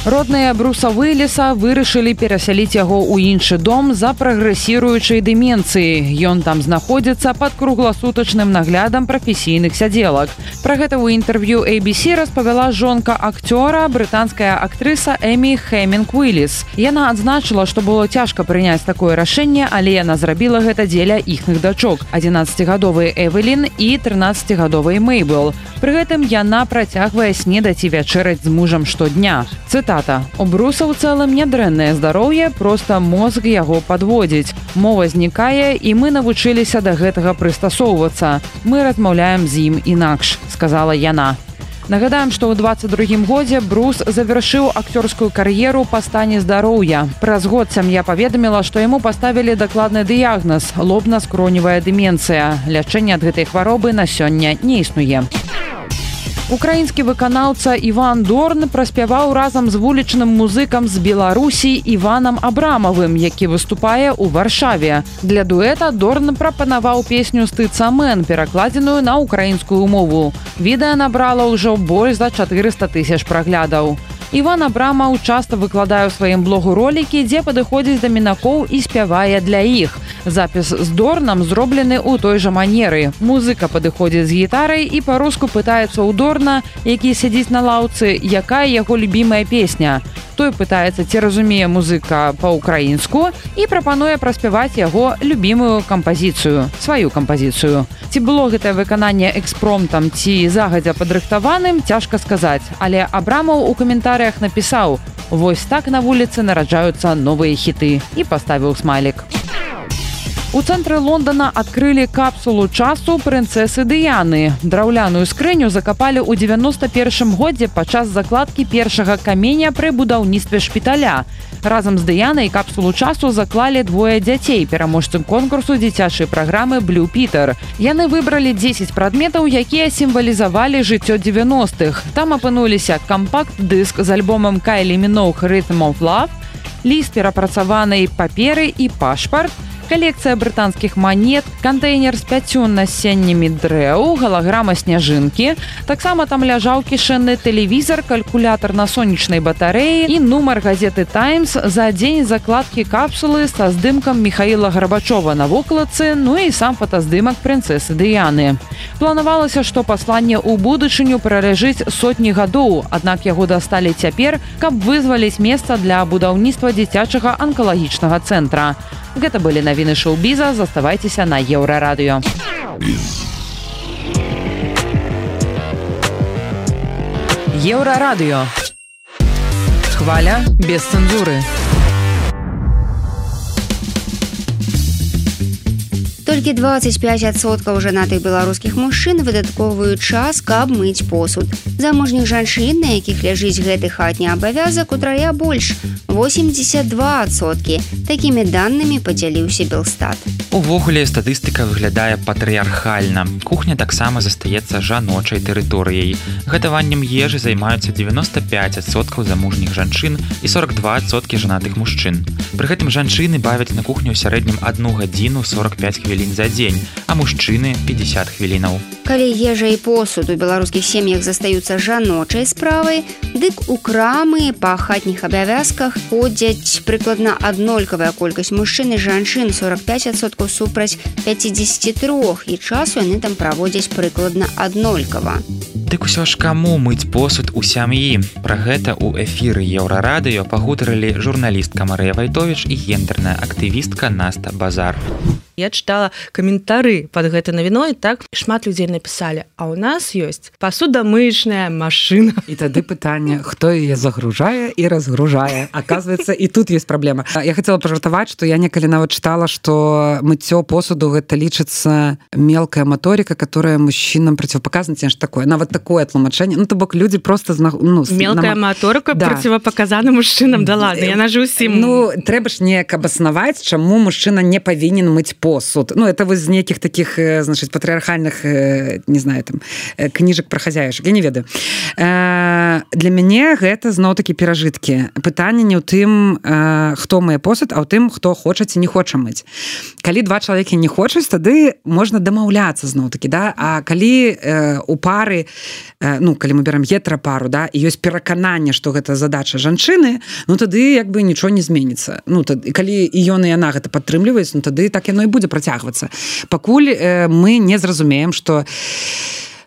S6: Родныя Бруса Уилліса вырашылі перасяліць яго ў іншы дом за прагрэсіруючай дэмінцыі. Ён там знаходзіцца пад кругласутачным наглядам прафесійных сядзелак. Пра гэта ў інтэрв'ю эй би си распавяла жонка акцёра, брытанская актрыса Эмі Хэмінг Уилліс. Яна адзначыла, што было цяжка прыняць такое рашэнне, але яна зрабіла гэта дзеля іхных дачок, адзінаццацігадовай Эвелін і трынаццацігадовай Мэйбл. Пры гэтым яна працягвае снедаць і вячэраць з мужам штодня. Цытата: «У Бруса ў цэлым нядрэннае здароўе, проста мозг яго падводзіць. Мова знікае, і мы навучыліся да гэтага прыстасоўвацца. Мы размаўляем з ім інакш», — сказала яна. Нагадаем, што ў дваццаць другім годзе Брус завяршыў акцёрскую кар'еру па стане здароўя. Праз год сям'я паведаміла, што яму паставілі дакладны дыягназ — лобна-скроневая дэмінцыя. Лячэнне ад гэтай хваробы на сёння не існуе. Украінскі выканаўца Іван Дорн праспяваў разам з вулічным музыкам з Беларусі Іванам Абрамавым, які выступае ў Варшаве. Для дуэта Дорн прапанаваў песню «Стыцца мэн», перакладзеную на украінскую мову. Відэа набрала ўжо больш за чатырыста тысяч праглядаў. Іван Абрамаў часта выкладае ў сваім блогу ролікі, дзе падыходзіць да мінакоў і спявае для іх. Запіс з Дорнам зроблены ў той жа манеры. Музыка падыходзіць з гітарай і па-руску пытаецца ў Дорна, які сядзіць на лаўцы, якая яго любімая песня. Той пытаецца, ці разумее музыка па-ўкраінску, і прапануе праспяваць яго любімую кампазіцыю, сваю кампазіцыю. Ці было гэтае выкананне экспромтам, ці загадзя падрыхтаваным, цяжка сказаць. Але Абрамаў у каментарыях напісаў: «Вось так на вуліцы нараджаюцца новыя хіты» і паставіў смайлік. У цэнтры Лондона адкрылі капсулу часу прынцэсы Дыяны. Драўляную скрыню закапалі ў дзевяноста першым годзе падчас закладкі першага каменя пры будаўніцтве шпіталя. Разам з Дыянай капсулу часу заклалі двое дзяцей, пераможцы конкурсу дзіцячай праграмы «Блю Пітер». Яны выбралі дзесяць прадметаў, якія сімвалізавалі жыццё дзевяностых. Там апынуліся кампакт-дыск з альбомам Кайлі Міноуг «Rhythm of Love», ліст перапрацаванай паперы і пашпарт, калекцыя брытанскіх манет, кантэйнер з пяццю насеннямі дрэў, галаграма сняжынкі. Таксама там ляжаў кішэнны тэлевізар, калькулятар на сонечнай батарэі і нумар газеты «Таймс» за дзень закладкі капсулы са здымкам Міхаіла Гарбачова на вокладцы, ну і сам фотаздымак прынцэсы Дыяны. Планавалася, што пасланне ў будучыню праляжыць сотні гадоў, аднак яго дасталі цяпер, каб вызваліць месца для будаўніцтва дзіцячага анкалагічнага цэнтра. Гэта былі навіны шоу-біза, заставайцеся на Еўрарадыё. Еўрарадыё. Хваля без цэнзуры.
S3: Толькі дваццаць пяць адсоткаў жанатых беларускіх мужчын выдаткоўваюць час, каб мыць посуд. Замужніх жанчын, на якіх ляжыць гэты хатні абавязак, утрая больш – восемьдесят два адсоткі. Такімі данымі падзяліўся Белстат.
S2: Увогуле статыстыка выглядае патрыархальна. Кухня таксама застаецца жаночай тэрыторыяй. Гатаваннем ежы займаюцца дзевяноста пяць адсоткаў замужніх жанчын і сорок два адсоткі жанатых мужчын. Пры гэтым жанчыны бавяць на кухню ў сярэднім адну гадзіну сорок пяць хвілін за дзень, а мужчыны пятьдесят хвілінаў.
S3: Калі ежа і посуд у беларускіх сем'ях застаюцца жаночай справай, дык у крамы па хатніх абавязках ходзяць прыкладна аднолькавая колькасць мужчын і жанчын, сорок пяць адсоткаў супраць пятьдесят три, і часу яны там праводзяць прыкладна аднолькава.
S2: Дык усё ж каму мыць посуд у сям'і? Пра гэта ў эфіры Еўрарадыё пагутарылі журналістка Марыя Вайтовіч і гендерная актывістка Наста Базар.
S9: Я чытала каментары под гэтай навіной, так шмат людзей напісалі: а ў нас ёсць пасудамыечная машына.
S6: І тады пытанне, хто яе загружае і разгружае. Оказывается, і тут есть праблема. Я хотела пажартаваць, што я некалі нават чытала, што мыццё посуду гэта лічыцца мелкая моторика, которая мужчинам противопоказана, ці ж такое. Нават такое тлумачэнне. Ну, то бок людзі просто зна... ну,
S9: мелкая нам... моторика да. Противопоказана мужчынам. Да ладно, яна ж усім.
S6: Ну, трэба ж неяк абаснаваць, чаму мужчына не павінен мыць посуд.
S10: посуд. Ну, это вось з нейкіх таких, значит, патрыархальных, не знаю, там, кніжак пра хазяюшак, я не ведаю. Для мяне гэта зноў-такі перажыткі. Пытанне не ў тым, хто мые посуд, а ў тым, хто хоча ці не хоча мыць. Калі два чалавекі не хочуць, тады можна дамаўляцца зноў-такі, да? А калі у пары, ну, калі мы берем гетерапару, да, і ёсць перакананне, што гэта задача жанчыны, ну, тады як бы нічого не зменіцца. Ну, тады, калі і ён і яна гэта падтрымліваюць, ну, тады так яно і будзе працягвацца. Пакуль э, мы не зразумеем, што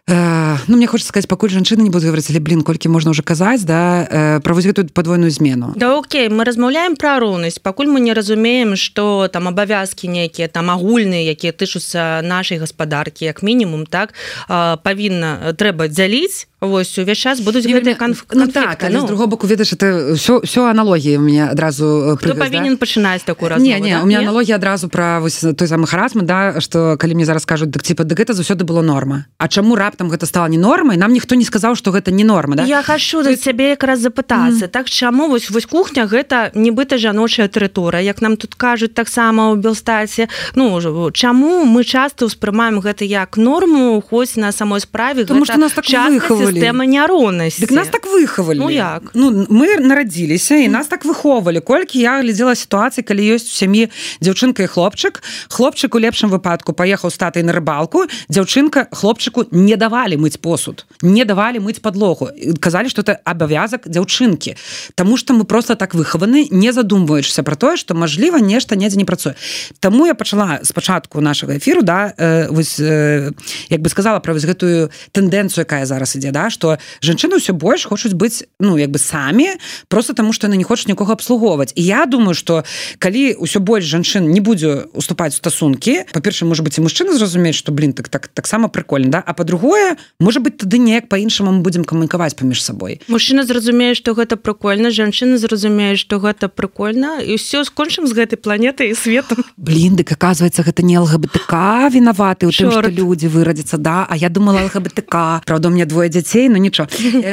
S10: э, ну, мне хочется сказаць, пакуль жанчыны не будуць гаварыць, але, блин, колькі можна ўжо казаць, да, э, пра вось гэтую падвойную змену.
S9: Да, окей, мы размаўляем пра роўнасць, пакуль мы не разумеем, што там абавязкі нейкія, там агульныя, якія тычуцца нашай гаспадаркі, як мінімум, так, э, павінна, трэба дзяліць. Вось, увесь час будуць гэтыя канф...
S10: конфликты. Ну так, але ну. З другого боку, ведаеш, это все, все аналогіі у меня адразу
S9: Хто павінен да? пачынаць такую размову?
S10: Не, не, да? у меня аналогія адразу пра вось той самы харасмент, да, што калі мне зараз кажуць, так типа, да гэта заўсёды было норма. А чаму раптам гэта стала не нормай? Нам ніхто не сказаў, што гэта не норма, да?
S9: Я хачу да цябе якраз запытацца. Mm. Так чаму вось вось кухня гэта нібыта жаночая тэрыторыя, як нам тут кажуць таксама ў Белстаце. Ну, чаму мы часта ўспрымаем гэта як норму, хоць на самой справе
S10: Тому гэта нас так выхавалі.
S9: Сістэма няроўнасці.
S10: Дык нас так выхавалі.
S9: Ну як?
S10: Ну, мы нарадзіліся, і нас так выхоўвалі. Колькі я глядзела сітуацыі, калі ёсць у сям'і дзяўчынка і хлопчык, хлопчык у лепшым выпадку паехаў з татай на рыбалку, дзяўчынка хлопчыку не давалі мыць посуд, не давалі мыць падлогу. Казалі, што это абавязак дзяўчынкі. Таму што мы проста так выхаваны, не задумваючыся пра тое, што, мажліва, нешта недзе не працуе. Таму я пачала спачатку нашага эфіру, да, э, вось, э, як бы сказала пра вось гэтую тэндэнцыю, якая зараз ідзе, да, што жанчыны ўсё больш хочуць быць, ну, як бы самі, просто таму, што яны не хочуць нікога абслугоўваць. І я думаю, што калі ўсё больш жанчын не будзе уступаць у стасункі, па-першае, можа быць, і мужчына зразумець, што, блин, так, так, таксама прикольна, да? А па-другое, можа быць, тады неяк па-іншаму мы будзем камунікаваць паміж сабой.
S9: Мужчына зразумее, што гэта прикольна, жанчына зразумее, што гэта прикольна, і ўсё, скончым з гэтай планетай і светом.
S10: Блин, дык, аказваецца, гэта не ЛГБТК вінаваты ў тым, што людзі вырадзяцца, да? А я думала ЛГБТК. Правда, у меня двое дзяцей, но нічого.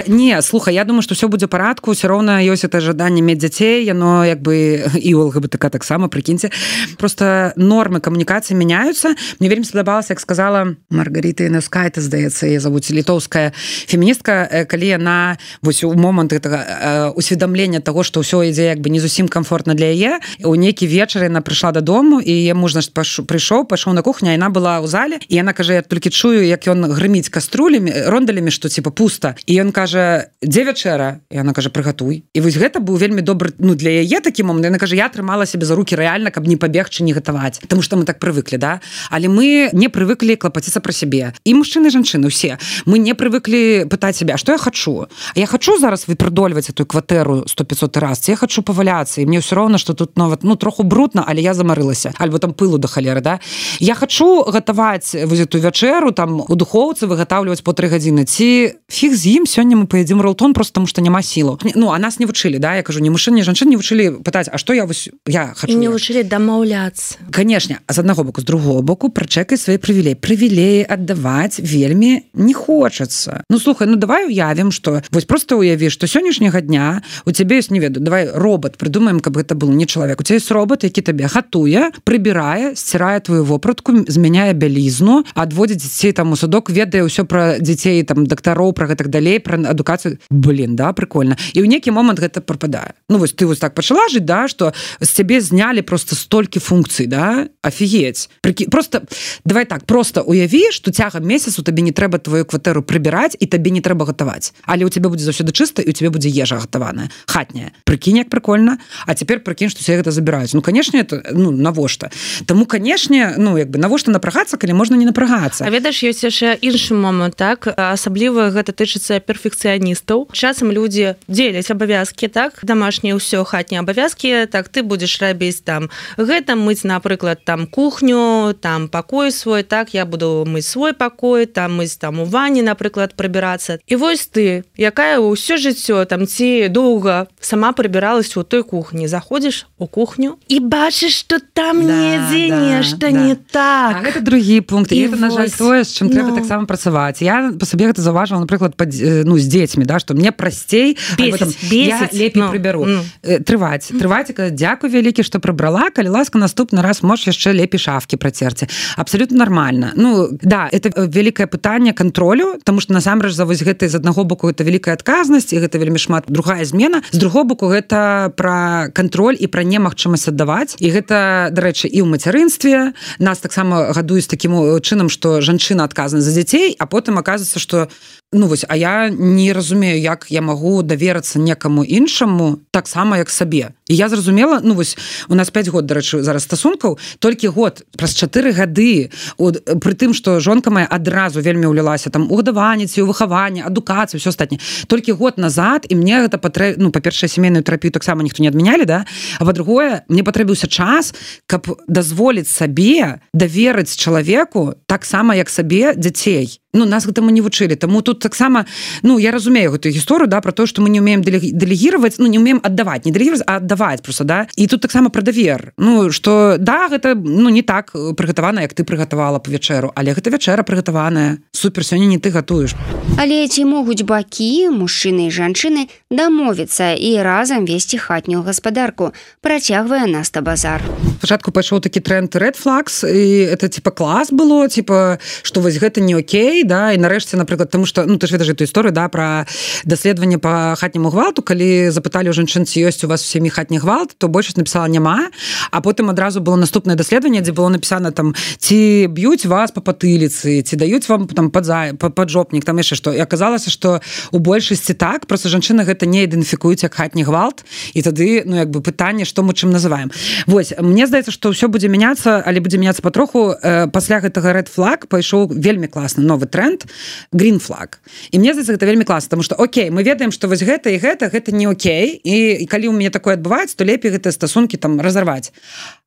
S10: Не, слухай, я думаю, што ўсё будзе парадку, ўсё роўна ёсць это жаданне мець дзяцей, яно як бы і ў ЛГБТК таксама, прыкіньце. Просто нормы камунікацыі мяняюцца. Мне вельмі спадабалася, як сказала Маргарита Янаўская, здаецца, яе завуць, літоўская феміністка, калі яна вось у момант гэтага усведамлення таго, што ўсё ідзе як бы не зусім комфортна для яе, у нейкі вечар яна прыйшла дадому, і яе муж, значит, прыйшоў, пайшоў на кухню, а яна была ў зале, і яна кажа, я толькі чую, як ён грыміць каструлямі, рондалямі, што типа пуста. І ён кажа, дзе вячэра? І яна кажа, прыгатуй. І вось гэта быў вельмі добры, ну, для яе такі момант. Яна кажа, я трымала сябе за рукі рэальна, каб не пабегчы, не гатаваць. Таму што мы так прывыклі, да? Але мы не прывыклі клапаціцца пра сябе. І мужчыны, і жанчыны, усе. Мы не прывыклі пытаць сябе, а што я хачу? А я хачу зараз выпрыдольваць эту кватэру сто пятьсот раз, ці я хачу паваляцца, і мне ўсё роўна, што тут нават, ну, троху брудна, але я замарылася. Альбо там пылу да халеры, да? Я хачу гатаваць вось эту вячэру, там, у духоўцы выгатаўліваць по тры гадзіны. Ці фіг з ім, сёння мы паядзім ролтон просто таму, што няма сілаў. Ну, а нас не вучылі, да? Я кажу, ні мужчын, ні жанчын не вучылі пытаць, а што я вось, я хачу.
S9: І не вучылі дамаўляцца.
S10: Канешне, з аднаго боку, з другого боку, прачэкай свае прывілеі. Прывілеі аддаваць вельмі не хочацца. Ну, слухай, ну, давай уявім, што, вось просто уяві, што сённяшняга дня у цябе ёсць, не ведаю, давай робот, прыдумаем, каб гэта был не чалавек. У цябе ёсць робот, які табе гатуе, прыбірае, сцірае твою вопратку, змяняе бялізну, адводзіць дзяцей там у садок, ведае ўсё пра дзяцей, там, дактароў, пра гэтак далей, пра адукацыю. Блин, да, прикольна. І ў нейкі момант гэта прападае. Ну, вось ты вось так пачала жыць, да, што з цябе знялі просто столькі функцый, да? Офігеть. Прики... Просто, давай так, просто уяві, што цягам месяцу табе не трэба твою кватэру прыбіраць і табе не трэба гатаваць. Але ў цябе будзе заўсёды чыста, і ў цябе будзе ежа гатаваная, хатняя. Прыкінь, як прикольна. А цяпер прыкінь, што ўсе гэта забіраюць. Ну, канешне, это, ну, навошта? Таму, канешне, ну, як бы, навошта напрагацца, калі можна не напрагацца?
S9: А ведаеш, ёсць яшчэ іншы момант, так? Асабліва гэта тычыцца перфекцыяністаў. Часам людзі дзеляць абавязкі, так? Дамашнія ўсё, хатнія абавязкі, так, ты будзеш рабіць там гэта, мыць, напрыклад, там кухню, там пакой свой, так, я буду мыць свой пакой, там мыць там у ванне, напрыклад, прыбірацца. І вось ты, якая ўсё жыццё там ці доўга сама прыбіралась у той кухні, заходзіш у кухню і бачыш, што там да, недзе да, нешта да. не так.
S10: А гэта другі пункт. І, і гэта, на жаль, тое, з чым ну. трэба таксама працаваць. Я па сабе гэта заўважыла напрыклад пад, ну з дзецьмі, да, што мне прасцей я лепей no, прыбяру no. трываць трываць дзякуй вялікі, што прыбрала, калі ласка наступны раз можаш яшчэ лепей шафкі працерці. Абсалютна нармальна. Ну да, это вялікае пытанне кантролю, таму што насамрэч за вось гэта з аднаго боку гэта вялікая адказнасць і гэта вельмі шмат другая змена, з другого боку гэта пра кантроль і пра немагчымасць аддаваць, і гэта, дарэчы, і ў мацярынстве нас таксама гадуюць такім чынам, што жанчына адказна за дзяцей, а потым аказваецца, што ну вось, а я не разумею, як я магу даверацца некаму іншаму таксама як сабе. І я зразумела, ну вось у нас пяць год, дарэчы, зараз стасункаў, толькі год праз чатыры гады от, пры тым, што жонка моя адразу вельмі ўлілася там у гадаванне, ці ў выхаванне, адукацыю, ўсё астатняе. Толькі год назад і мне гэта патрэ... ну па-першае, сямейную тэрапію таксама ніхто не адмянялі, да? А па-другое, мне патрэбіўся час, каб дазволіць сабе даверыць чалавеку таксама як сабе дзяцей. Ну, нас гэтаму не вучылі. Таму тут таксама, ну, я разумею гэтую гісторыю, да, про то, што мы не умеем дэлегіраваць, ну, не умеем аддаваць, не дэлегіраваць, а аддаваць просто, да. І тут таксама пра давер. Ну, што, да, гэта, ну, не так прыгатавана, як ты прыгатавала па вячэру, але гэта вячэра прыгатаваная. Супер, сёння не ты гатуеш.
S3: Але ці могуць бакі, мужчыны і жанчыны, дамовіцца і разам весці хатнюю гаспадарку? Працягвае Наста Базар.
S10: Спачатку пайшоў такі тренд Red Flags, і это, типа, клас было, типа, што вось гэта не окей, да, і нарэшце, напрыклад, тому што, ну, ты ж ведаеш эту історыю, да, пра даследаванне па хатняму гвалту, калі запыталі ў жанчын, ці ёсць у вас у сям'і хатні гвалт, то большасць напісала няма, а потым адразу было наступнае даследаванне, дзе было напісана там, ці б'юць вас па патыліцы, ці даюць вам там падзай, паджопнік, там яшчэ што. І аказалася, што у большасці так, проста жанчыны гэта не ідэнтыфікуюць як хатні гвалт, і тады, ну, як бы пытанне, што мы чым называем. Вось, мне здаецца, што ўсё будзе мяняцца, але будзе мяняцца патроху. Э, пасля гэтага Red Flag пайшоў вельмі класны новы тренд Green Flag. І мне здаецца, гэта вельмі класна, таму што окей, мы ведаем, што вось гэта і гэта, гэта не окей, і, і калі ў мяне такое адбываецца, то лепей гэтыя стасункі там разарваць.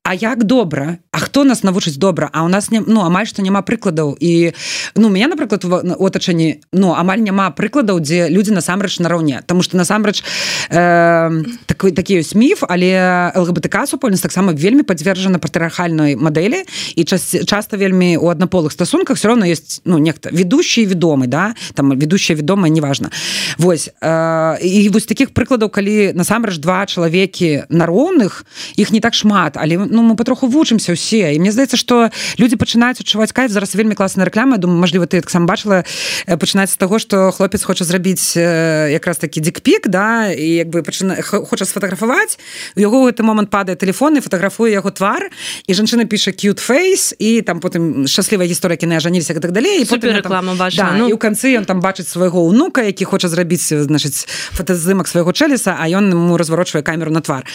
S10: А як добра? А хто нас навучыць добра? А у нас не, ну, амаль што няма прыкладаў. І, ну, у мяне, напрыклад, у атачэнні, ну, амаль няма прыкладаў, дзе людзі насамрэч нараўне. Таму што насамрэч э, такі, такі ёсць міф, але ЛГБТК супольнасць таксама вельмі падзвержана патрыархальнай мадэлі, і час, часта вельмі у аднаполых стасунках все равно ёсць, ну, нехта ведущий і ведомы, да? Там ведущая, ведомая, неважна. Вось. Э, і вось такіх прыкладаў, калі насамрэч два чалавекі нароўных, іх не так шмат, але ну, мы патроху вучымся ўсе. І мне здаецца, што людзі пачынаюць адчуваць кайф. Зараз вельмі класная рэклама. Я думаю, мажліва, ты таксама бачыла, пачынаецца з таго, што хлопец хоча зрабіць якраз такі дикпік, да, і як бы пачына... хоча сфотаграфаваць. У яго ў гэты момант падае тэлефон і фатаграфуе яго твар, і жанчына піша cute face, і там потым шчаслівая гісторыя, кіны ажаніліся і так далей. І
S9: супер рэклама бачыла.
S10: Да, ну... І ў канцы ён там бачыць свайго ўнука, які хоча зрабіць, значыць, фотаздымак свайго чэліса, а ён ему разварочвае камеру на твар.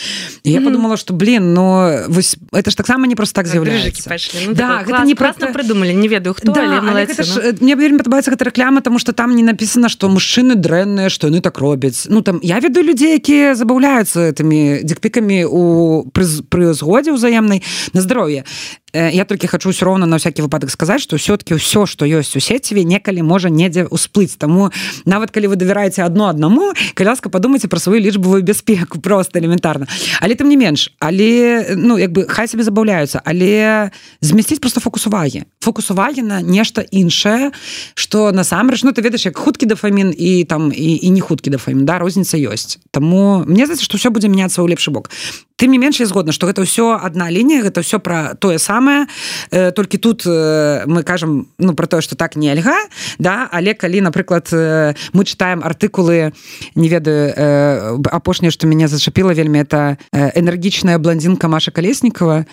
S10: І я mm-hmm. подумала, што, блин, ну, вось это ж таксама не просто так з'яўляецца.
S9: Ну, да, гэта не класна про... придумали, не ведаю хто, да, але малайцы.
S10: Ну. Мне вельмі падабаецца гэта рэклама, тому што там не напісана, што мужчыны дрэнныя, што яны так робяць. Ну там я ведаю людзей, якія забаўляюцца гэтымі дикпікамі у пры, пры згодзе ўзаемнай на здароўе. Я толькі хачу ўсё роўна на всякі выпадак сказаць, што ўсё-такі ўсё, што ёсць у сеціве, некалі можа недзе ўсплыць. Таму нават калі вы давяраеце адно аднаму, калі ласка, падумайце пра сваю лічбавую бяспеку, проста элементарна. Але тым не менш, але ну як бы хай сабе забаўляюцца, але змясціць проста фокус увагі. Фокус увагі на нешта іншае, што насамрэч, ну ты ведаеш, як хуткі дафамін і там і, і не хуткі дафамін, да, розніца ёсць. Таму мне здаецца, што ўсё будзе мяняцца ў лепшы бок. Тым не менш, я згодна, што гэта ўсё адна лінія, гэта ўсё пра тое самае, э, толькі тут э, мы кажам, ну, пра тое, што так нельга, да, але калі, напрыклад, э, мы чытаем артыкулы, не ведаю, э, апошняе, што мяне зачапіла вельмі, это э, энергічная блондинка Маша Колеснікова.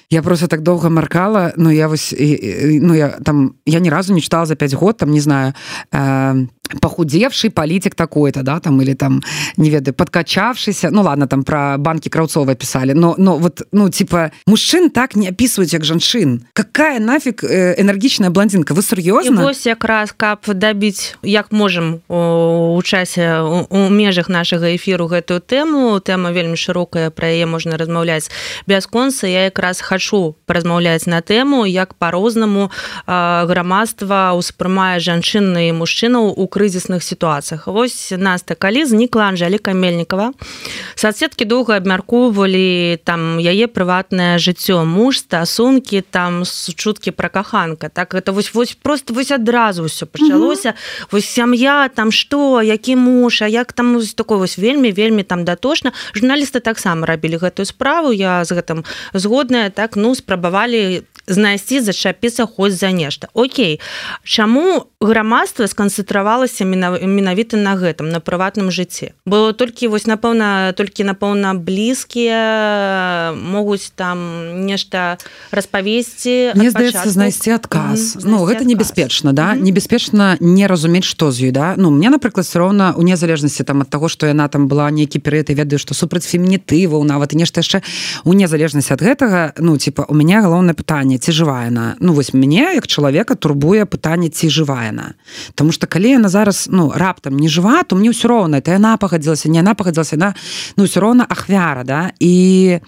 S10: Я просто так доўга маркала, ну, я вось, ну, я там, я ні разу не читала за пять год, там, не знаю, э, похудевший политик такой-то, да, там, или там, не ведаю, подкачавшийся, ну, ладно, там, про банки Краўцова писали, но, но вот, ну, типа, мужчин так не описывают, як жанчын. Какая нафиг э, энергичная блондинка? Вы серьезно?
S9: И вось якраз, каб добить, як можем у, у часе, у, у межах нашага эфіру гэтую тэму, тэма вельмі шырокая, пра яе можна размаўляць бясконца, я якраз хочу хачу паразмаўляць на тэму, як па-рознаму грамадства ўспрымае жанчын і мужчынаў у крызісных сітуацыях. Вось, Наста, калі знікла Анжэліка Мельнікава, соцсеткі доўга абмяркоўвалі там яе прыватнае жыццё, муж, стасункі, там чуткі пра каханка. Так, это вось, вось просто вось адразу ўсё пачалося. Mm-hmm. Вось сям'я, там што, які муж, а як там вось такое вось вельмі, вельмі там датошна. Журналісты таксама рабілі гэтую справу, я з гэтым згодная, так, ну, спрабавалі знайсці, зачапіцца хоць за нешта. Окей, чаму грамадства сканцэнтравалася менавіта на гэтым, на прыватным жыцці? Бо толькі, вось, напэўна, толькі, напэўна, блізкія могуць там нешта распавесці.
S10: Мне здаецца, знайсці адказ. Mm-hmm. Ну, гэта адказ. Небяспечна, да? Mm-hmm. Небяспечна не разумець, што з ёй, да? Ну, мне, напрыклад, все роўна, у незалежнасці там ад таго, што яна там была нейкі перыяд, і ведаю, што супраць фемінітываў, нават і нешта яшчэ, у незалежнасці ад гэтага, ну, типа, у мяне галоўнае пытанне, ці жывая яна. Ну, вось мяне, як чалавека, турбуе пытанне, ці жывая яна. Таму што калі яна зараз, ну, раптам не жыва, то мне ўсё роўна, это яна пагадзілася, не яна пагадзілася, яна, ну, ўсё роўна ахвяра, да? І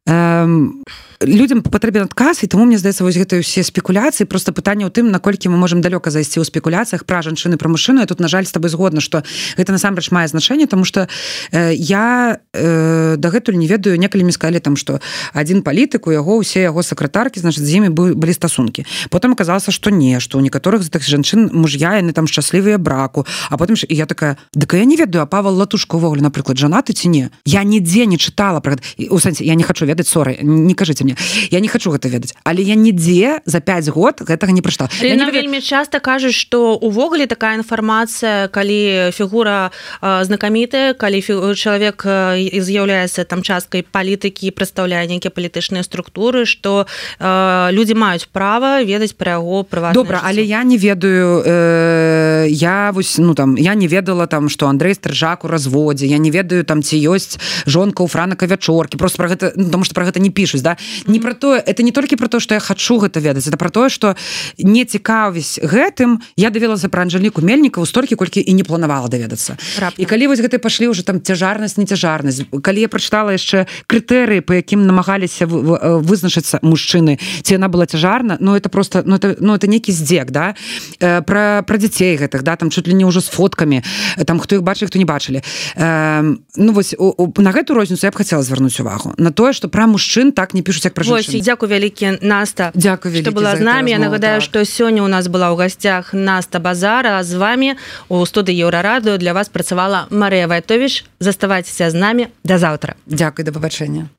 S10: эм, людям патрэбен адказ, і таму мне здаецца, вось гэтыя ўсе спекуляцыі, просто пытанне ў тым, наколькі мы можам далёка зайсці ў спекуляцыях пра жанчыны, пра мужчыну. Я тут, на жаль, з табой згодна, што гэта насамрэч мае значэнне, таму што э, я э, дагэтуль не ведаю, некалі мне сказалі там, што адзін палітык, у яго ўсе яго сакратаркі, значыць, з імі былі стасункі. Потым аказалася, што не, што ў некаторых з тых жанчын муж'я, яны там шчаслівыя браку, а потым і я такая, дык я не ведаю, а Павел Латушко ўвогуле, напрыклад, жанаты ці не? Я нідзе не чытала пра гэта. У сэнсе, я не хачу ведаць, соры, не кажыце мне. Я не хочу гэта ведаць, але я нідзе за пяць год гэтага не прачытала.
S9: Нам ведаю... вельмі часта кажуць, што увогуле такая інфармацыя, калі фігура э, знакамітая, калі фі... чалавек э, з'яўляецца там часткай палітыкі, прадстаўляе нейкія палітычныя структуры, што э, людзі маюць права ведаць пра яго прыватнае
S10: Добра, жыццё. Але я не ведаю, э, я вось, ну там, я не ведала там, што Андрэй Стрыжак у разводзе, я не ведаю там, ці ёсць жонка ў Франака Вячоркі, просто пра гэта, ну, тому што пра гэта не пішуць, да? Не пра то, это не толькі про то, што я хачу гэта ведаць, это про тое, што не цікавіць гэтым, я даведалася пра Анжэліку Мельнікаву столькі, колькі і не планавала даведацца. І калі вось гэта пашлі ўжо там цяжарнасць, нецяжарнасць, калі я прачытала яшчэ крытэрыі, па якім намагаліся вызначыцца мужчыны, ці яна была цяжарна, ну это просто, ну это, ну это нейкі здзек, да, пра, пра дзяцей гэтых, да, там чуть ли не ўжо з фоткамі, там хто іх бачылі, хто не бачылі. Ну вось, на гэту розніцу я б хацела звярнуць увагу, на тое, што пра мужчын так не пішуць, як пра жанчын.
S9: Дзякую вялікі, Наста,
S10: Дзякую
S9: што была з намі. Я нагадаю,
S10: так.
S9: што сёння ў нас была ў гасцях Наста Базара, а з вамі у студыі Еўрарадыё для вас працавала Марыя Вайтовіч. Заставайцеся з намі. Да заўтра.
S10: Дзякуй, да пабачэння.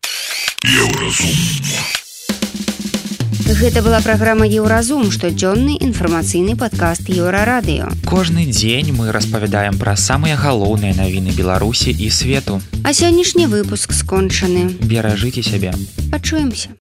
S8: Еўразум.
S3: Гэта была праграма «Еўразум», штодзённы інфармацыйны падкаст Еўрарадыё.
S2: Кожны дзень мы распавядаем пра самыя галоўныя навіны Беларусі і свету.
S3: А сённяшні выпуск скончаны.
S2: Беражыце сябе.
S3: Пачуемся.